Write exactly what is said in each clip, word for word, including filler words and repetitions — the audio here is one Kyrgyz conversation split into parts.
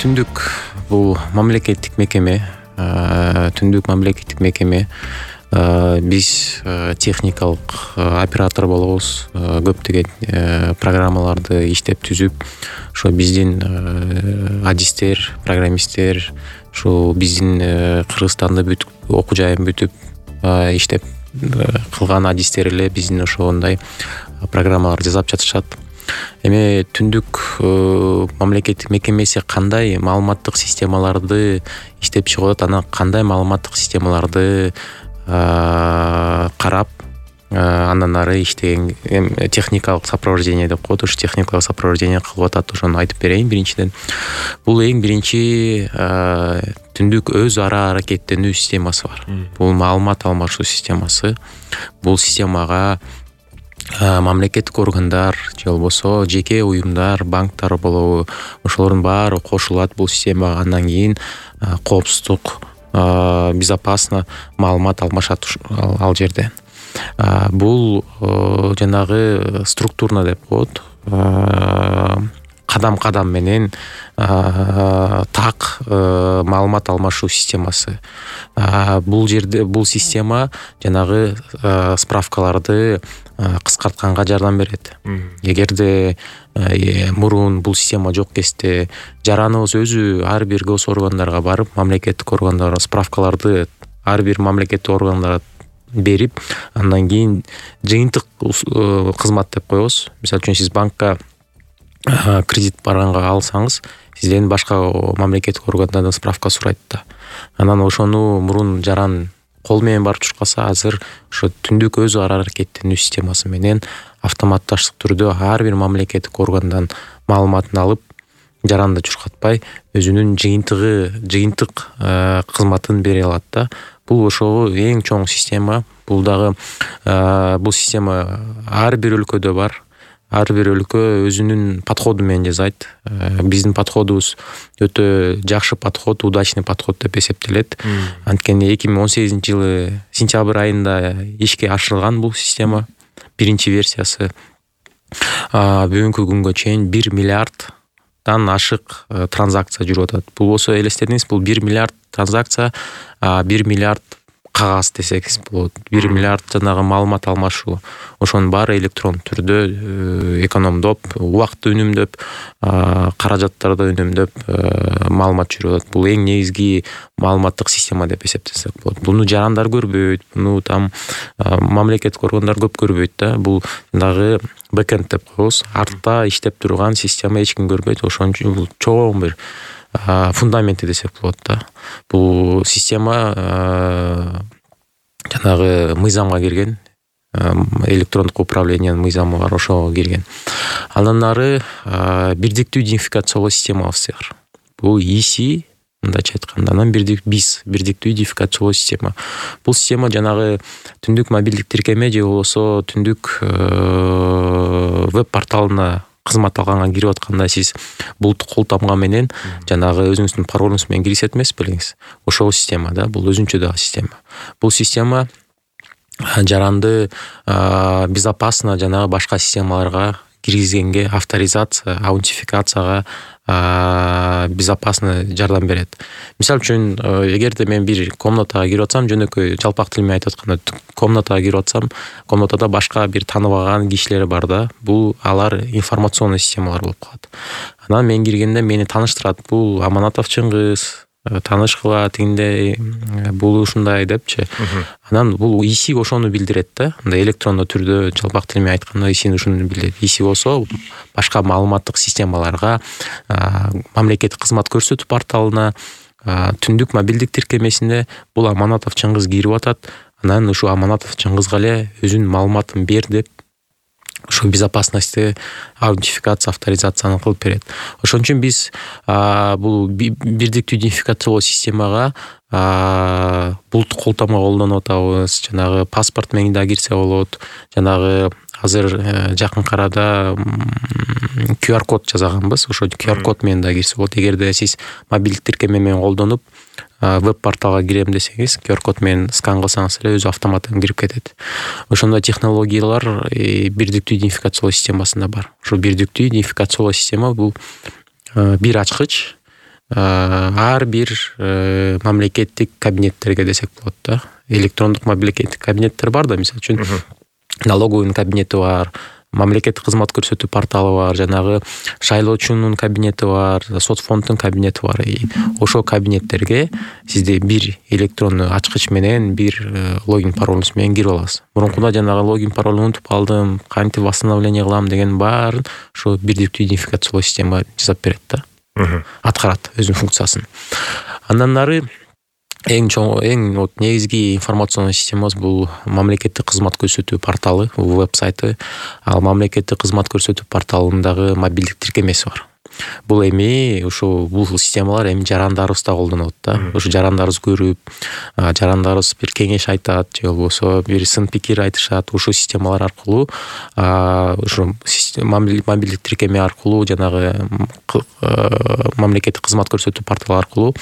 Түндүк бул мамлекеттик мекеме, Түндүк мамлекеттик мекеме. Биз техникалык оператор болобуз. Көптөгөн программаларды иштеп түзүп, ошо биздин адистер, программисттер, ошо биздин Кыргызстанда бүт окуу жайын бүтүп иштеп кылган адистер эле биздин ошондой программаларды жасап жатышат. Эми Түндүк мамлекеттик мекемеси кандай маалыматтык системаларды иштеп чыгып атат, анан кандай маалыматтык системаларды карап, андан ары иштеген техникалык сопровождение деп коет, ушу техникалык сопровождение кылып атат, ошону айтып берейин. Биринчиден, бул эң биринчи Түндүк өз ара аракеттенүү системасы бар. Бул маалымат алмашуу системасы. Бул системага мамлекеттик органдар же болбосо жеке уюмдар, банктар болобу, ошолордун баары кошулат бул системага. Андан кийин коопсуздук, безопасно маалымат алмашат ал жерде. Бул жанагы структурно деп коет, кадам-кадам менен так маалымат алмашуу системасы. Бул жерде бул система жанагы справкаларды кыскартканга жардам берет. Эгерде мурун бул система жок кезде жараныбыз өзү ар бир гос органдарга барып, мамлекеттик органдарга справкаларды ар бир мамлекеттик органдарга берип, андан кийин жыйынтык кызмат деп коебуз. Мисалы үчүн сиз банкка кредит барганга алсаңыз, сизден башка мамлекеттик органдардан справка сурайт да. Анан ошону мурун жаран кол менен барып чуркаса, азыр ошо Түндүк өз ара аракеттенүү системасы менен автоматташтык түрдө ар бир мамлекеттик органдан маалыматын алып, жаранды чуркатпай, өзүнүн жыйынтыгы, жыйынтык кызматын бере алат да. Бул ошо эң чоң система. Бул дагы бул система ар бир өлкөдө бар. Ар бир өлкө өзүнүн подходу менен жасайт. Биздин подходубуз өтө жакшы подход, удачный подход деп эсептелет. Анткени эки миң он сегизинчи жылы сентябрь айында ишке ашырылган бул система, биринчи версиясы. Бүгүнкү күнгө чейин бир миллиарддан ашык транзакция жүрүп атат. Бул болсо элестетиңиз, бул бир миллиард транзакция, бир миллиард кагаз десеңиз болот. бир миллиард жанагы маалымат алмашуу. Ошонун баары электрон түрдө экономдоп, убакытты үнөмдөп, каражаттарды үнөмдөп маалымат жүрүп атат. Бул эң негизги маалыматтык система деп эсептесек болот. Буну жарандар көрбөйт, буну там мамлекеттик органдар көп көрбөйт да. Бул жанагы бэкэнд деп коебуз. Артта иштеп турган система эч ким көрбөйт. Ошон үчүн бул чоң бир фундаменти десек болот да. Бул система жанагы мыйзамга кирген, электрондук управлениянын мыйзамы бар, ошого кирген. Андан ары бирдиктүү идентификациялоо системабыз бар. Бул и си, мындайча айтканда, анан биз бирдиктүү идентификациялоо система. Бул система жанагы Түндүк мобилдик тиркеме же болбосо Түндүк веб порталына кызмат алганга кирип атканда сиз булуттук кол тамга менен жанагы өзүңүздүн паролуңуз менен киргизет эмес белеңиз. Ошол система да, бул өзүнчө дагы система. Бул система жаранды безопасно жанагы башка системаларга киргизгенге, авторизация, аутентификацияга безопасно жардам берет. Мисалы үчүн, эгерде мен бир комнатага кирип атсам, жөнөкөй жалпак тил менен айтып атканда, комнатага кирип атсам, комнатада башка бир тааныбаган кишилер бар да. Бул алар информационный системалар болуп калат. Анан мен киргенде мени тааныштырат. Бул Аманатов Чыңгыз, таанышкыла тигиндей, бул ушундай депчи. Анан бул и си ошону билдирет да. Мындай электрондуу түрдө жалпак тил менен айтканда и си ушуну билдирет. и си болсо башка маалыматтык системаларга, мамлекеттик кызмат көрсөтүү порталына, Түндүк мобилдик тиркемесине бул Аманатов Чыңгыз кирип атат. Анан ушу Аманатов Чыңгызга эле өзүнүн маалыматын бер деп ошо безопасности, аутентификация, авторизацияны кылып берет. Ошон үчүн биз бул бирдиктүү идентификациялоо системага булуттук кол тамга колдонуп атабыз. Жанагы паспорт менен да кирсе болот. Жанагы азыр жакын арада ку ар код жасаганбыз. Ошо ку ар код менен да кирсе болот. Эгерде сиз мобилдик тиркеме менен колдонуп веб порталга кирем десеңиз, ку ар код менен скан кылсаңыз эле өзү автоматтан кирип кетет. Ошондой технологиялар бирдиктүү идентификациялоо системасында бар. Ошо бирдиктүү идентификациялоо система бул бир ачкыч, ар бир мамлекеттик кабинеттерге десек болот да. Электрондук мамлекеттик кабинеттер бар да, мисалы үчүн налоговый кабинети бар, мамлекеттик кызмат көрсөтүү порталы бар, жанагы шайлоочунун кабинети бар, соцфонддун кабинети бар. Ошол кабинеттерге сизде бир электрондуу ачкыч менен бир логин паролуңуз менен кирип аласыз. Мурункуда жанагы логин паролду унутуп калдым, кантип восстановление кылам деген баарын ошо бирдиктүү идентификациялоо система жасап берет да. Аткарат өзүнүн функциясын. Андан нары эң чоң, эң вот негизги информационный системабыз бул мамлекеттик кызмат көрсөтүү порталы, веб-сайты. Ал мамлекеттик кызмат көрсөтүү порталындагы мобилдик тиркемеси бар. Бул эми ошо бул системалар эми жарандарыбызда колдонот да. Ошо жарандарыбыз көрүп, жарандарыбыз бир кеңеш айтат, же болбосо бир сын пикир айтышат. Ошо системалар аркылуу, ошо мобилдик тиркеме аркылуу, жанагы мамлекеттик кызмат көрсөтүү порталы аркылуу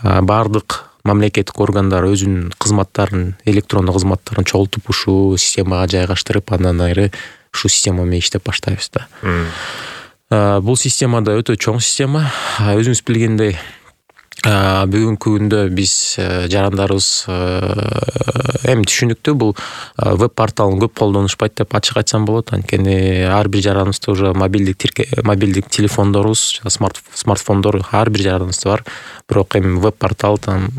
бардык мамлекеттик органдар өзүнүн кызматтарын, электрондук кызматтарын чогултуп ушул системага жайгаштырып, андан ары ушул система менен иштеп баштайбыз да. Бул система да өтө чоң система. Өзүңүз билгендей, бүгүнкү күндө биз жарандарыбыз эми түшүнүктүү, бул веб порталын көп колдонушпайт деп ачык айтсам болот. Анткени ар бир жараныбызда уже мобилдик тирке, мобилдик телефондорубуз, смарт смартфондор ар бир жараныбызда бар. Бирок эми веб портал там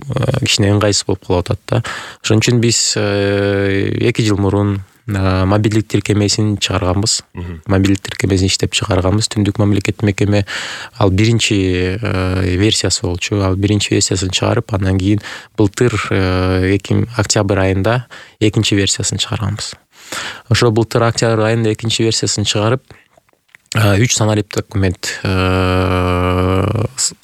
кичине ыңгайсыз болуп калып атат да. Ошон үчүн биз эки жыл мурун мобилдик тиркемесин чыгарганбыз. Мобилдик тиркемесин иштеп чыгарганбыз. Түндүк мамлекеттик мекеме ал биринчи версиясы болчу. Ал биринчи версиясын чыгарып, андан кийин былтыр октябрь айында экинчи версиясын чыгарганбыз. Ошо былтыр октябрь айында экинчи версиясын чыгарып, үч санарип документ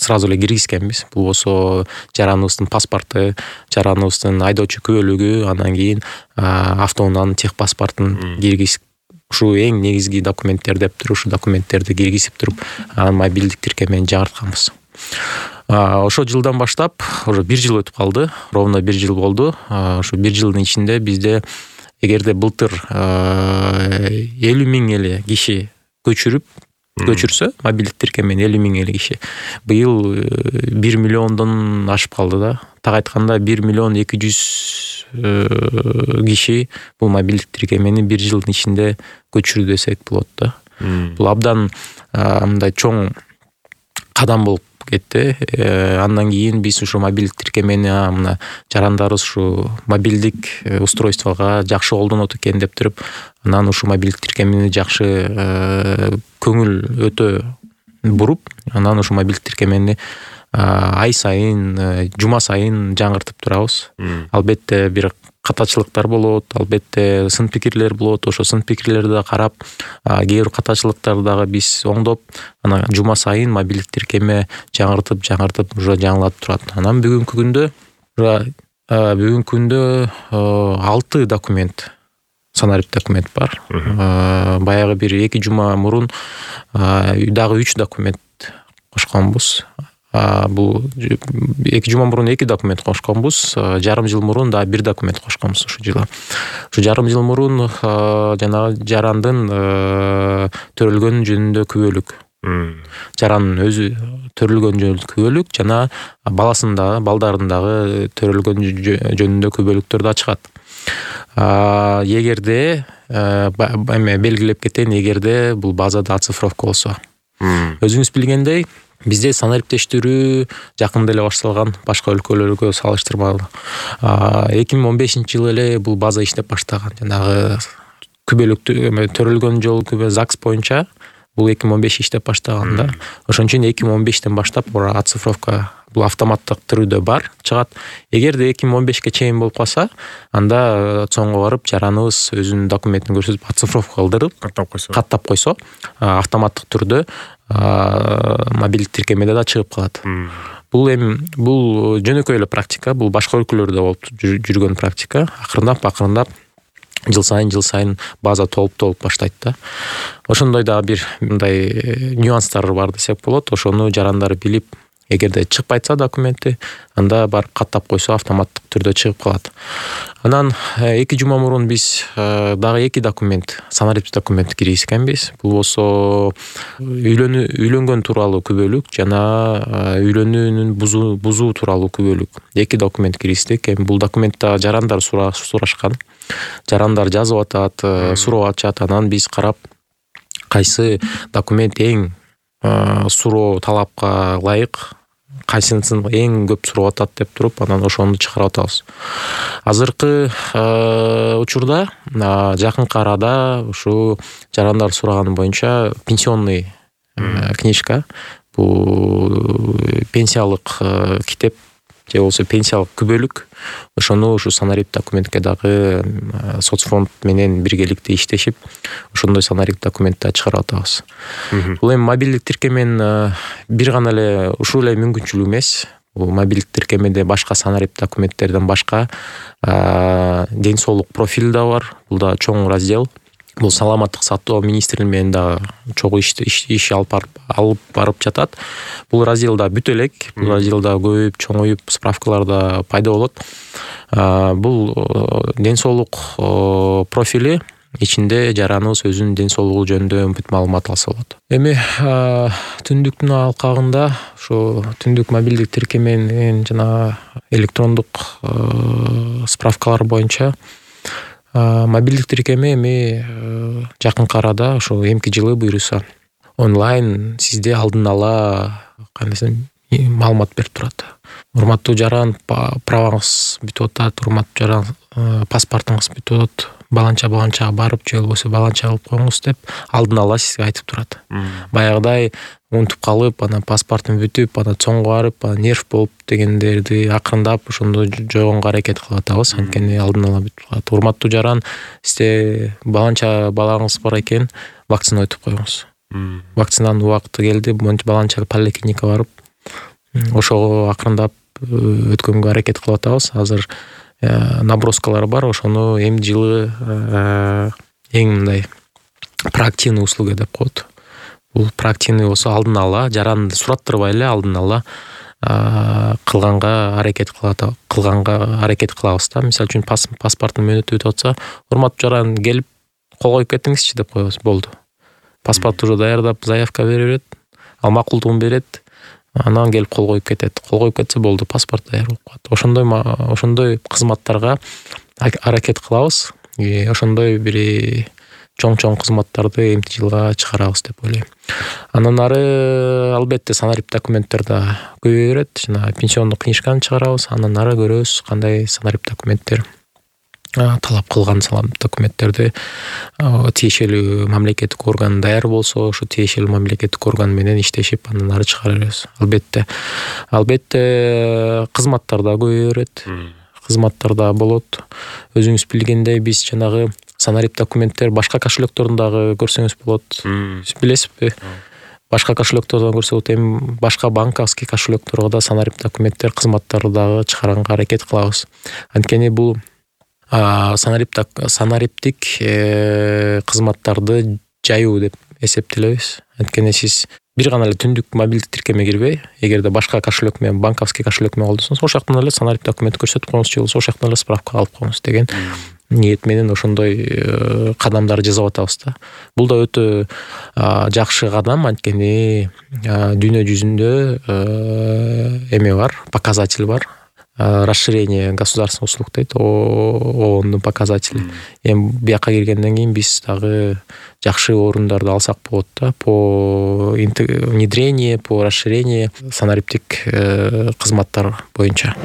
сразу эле киргизгенбиз. Бул болсо жараныбыздын паспорту, жараныбыздын айдоочу күбөлүгү, андан кийин автоунаанын тех паспортун киргизип, ушу эң негизги документтер деп туруп, ушу документтерди киргизип туруп, анан мобилдик тиркемени жаңыртканбыз. Ошол жылдан баштап, уже бир жыл өтүп калды, ровно бир жыл болду. Ошо бир жылдын ичинде бизде, эгерде былтыр элүү миң эле киши көчүрүп көчүрсө, мобилдик тиркемени элүү миң эле киши, быйыл бир миллиондон ашып калды да. Так айтканда бир миллион эки жүз киши бул мобилдик тиркемени бир жылдын ичинде көчүрдү десек болот да. Бул абдан мындай чоң кадам болуп кетти. Андан кийин биз ушу мобилдик тиркемени мына жарандарыбыз ушу мобилдик устройствого жакшы колдонот экен деп туруп, анан ушу мобилдик тиркемени жакшы көңүл өтө буруп, анан ушу мобилдик тиркемени ай сайын, жума сайын жаңыртып турабыз. Албетте бир катачылыктар болот, албетте сын пикирлер болот. Ошо сын пикирлерди карап, кээ бир катачылыктарды дагы биз оңдоп, анан жума сайын мобилдик тиркеме жаңыртып, жаңыртып уже жаңылатып турат. Анан бүгүнкү күндө, бүгүнкү күндө алты документ, санарип документ бар. Баягы бир эки жума мурун дагы үч документ кошконбуз. Бул эки жума мурун эки документ кошконбуз, жарым жыл мурун да бир документ кошконбуз ушул жылы. Ушу жарым жыл мурун жанагы жарандын төрөлгөн жөнүндө күбөлүк, жарандын өзү төрөлгөн жөнүндө күбөлүк жана баласындагы, балдарындагы төрөлгөн жөнүндө күбөлүктөр да чыгат. Эгерде эме белгилеп кетейин, эгерде бул базада оцифровка болсо. Өзүңүз билгендей, бизде санариптештирүү жакында эле башталган, башка өлкөлөргө салыштырмалуу. эки миң он бешинчи жылы эле бул база иштеп баштаган. Жанагы күбөлүктү төрөлгөн жол күбө ЗАГС боюнча бул эки миң он беш иштеп баштаган да. Ошон үчүн эки миң он бештен баштап оцифровка бул автоматтык түрдө бар, чыгат. Эгерде эки миң он бешке чейин болуп калса, анда соңго барып жараныбыз өзүнүн документин көрсөтүп оцифровка кылдырып, каттап койсо, каттап койсо, автоматтык түрдө мобилдик тиркемеде да чыгып калат. Бул эми бул жөнөкөй эле практика, бул башка өлкөлөрдө болуп жүргөн практика. Акырындап, акырындап жыл сайын жыл сайын база толуп толуп баштайт да. Ошондой да бир мындай нюанстар бар десек болот. Ошону жарандар билип, эгерде чыкпайса документи, анда барып каттап койсо автоматтык түрдө чыгып калат. Анан эки жума мурун биз дагы эки документ, санариптик документ киргизгенбиз. Бул болсо үйлөнүү үйлөнгөн тууралуу күбөлүк жана үйлөнүүнүн бузуу бузуу тууралуу күбөлүк. Эки документ киргиздик. Эми бул документте жарандар сурашкан. Жарандар жазып атат, суроо ачат. Анан биз карап кайсы документ эң суроо талапка ылайык, кайсысын эң көп сурап атат деп туруп, анан ошону чыгарып атабыз. Азыркы учурда жакынкы арада ушу жарандар сураганы боюнча пенсионный книжка, бул пенсиялык китеп же болбосо пенсиялык күбөлүк, ошону ушу санарип документке дагы соцфонд менен биргеликте иштешип, ошондой санарип документти чыгарып атабыз. Бул эми мобилдик тиркеменин бир гана эле ушул эле мүмкүнчүлүгү эмес. Бул мобилдик тиркемеде башка санарип документтерден башка ден соолук профили да бар. Бул да чоң раздел. Бул саламаттык сактоо министрлиги менен да чогуу иш иш алып алып барып жатат. Бул разделда бүтө элек, бул разделда көбөйүп, чоңоюп, справкалар да пайда болот. Бул ден соолук профили ичинде жараныбыз өзүнүн ден соолугу жөнүндө бүт маалымат алса болот. Эми түндүктүн алкагында ошо түндүк мобилдик тиркеменин жана электрондук справкалар боюнча мобилдик тиркеме эми жакынкы арада ошо эмки жылы буюрса онлайн сизде алдын ала кандайсы маалымат берип турат. Урматтуу жаран, праваңыз бүтүп атат, урматтуу жаран, паспортуңуз бүтүп атат, баланча баланчага барып же болбосо баланча кылып коюңуз деп алдын ала сизге айтып турат. Баягыдай унутуп калып, анан паспортум бүтүп, анан чоңго барып, нерв болуп дегендерди акырындап ошондо жойгонго аракет кылып атабыз. Анткени алдын ала бүтүп калат. Урматтуу жаран, сизде баланча балаңыз бар экен, вакцина өтүп коюңуз. Вакцинанын убакыты келди, баланча поликлиникага барып, ошого акырындап өткөнгө аракет кылып атабыз. Азыр наброскалар бар, ошону эми жылы эң мындай проактивный услуга деп коет. Бул проактивный болсо алдын ала жаранды сураттырбай эле алдын ала кылганга аракет кылат, кылганга аракет кылабыз да. Мисалы үчүн паспорттун мөөнөтү өтүп атса, урматтуу жаран келип кол коюп кетиңизчи деп коебуз, болду. Паспорт уже даярдап заявка бере берет, ал макулдугун берет, анан келип кол коюп кетет. Кол коюп кетсе болду, паспорт даяр болуп калат. Ошондой ошондой кызматтарга аракет кылабыз. Ошондой бир чоң-чоң кызматтарды эмки жылга чыгарабыз деп ойлойм. Андан ары албетте санарип документтер да көбөйө берет. Жана пенсиондук книжканы чыгарабыз. Андан ары көрөбүз кандай санарип документтер талап кылган салам документтерди тиешелүү мамлекеттик орган даяр болсо, ошо тиешелүү мамлекеттик орган менен иштешип, андан ары чыгара беребиз. Албетте, албетте кызматтар да көбөйө берет. Кызматтар да болот. Өзүңүз билгендей, биз жанагы санарип документтер башка кошелектордон дагы көрсөңүз болот. Билесизби? Башка кошелектордон көрсө болот. Эми башка банковский кошелекторго да санарип документтер кызматтарды дагы чыгаранга аракет кылабыз. Анткени бул санариптик санариптик кызматтарды жаюу деп эсептелебиз. Анткени сиз бир гана эле түндүк мобилдик тиркемеге кирбей, эгерде башка кошелек менен, банковский кошелек менен колдонсоңуз, ошол жактан эле санарип документ көрсөтүп коюңуз, же болбосо ошол жактан эле справка алып коюңуз деген ниет менен ошондой кадамдар жасап атабыз да. Бул да өтө жакшы кадам, анткени дүйнө жүзүндө эме бар, показатель бар. Расширение государственных услуг дейт, ООНдун показатели. Эми бияка киргенден кийин биз дагы жакшы орундарды алсак болот да, по внедрение, по расширение санариптик кызматтар боюнча.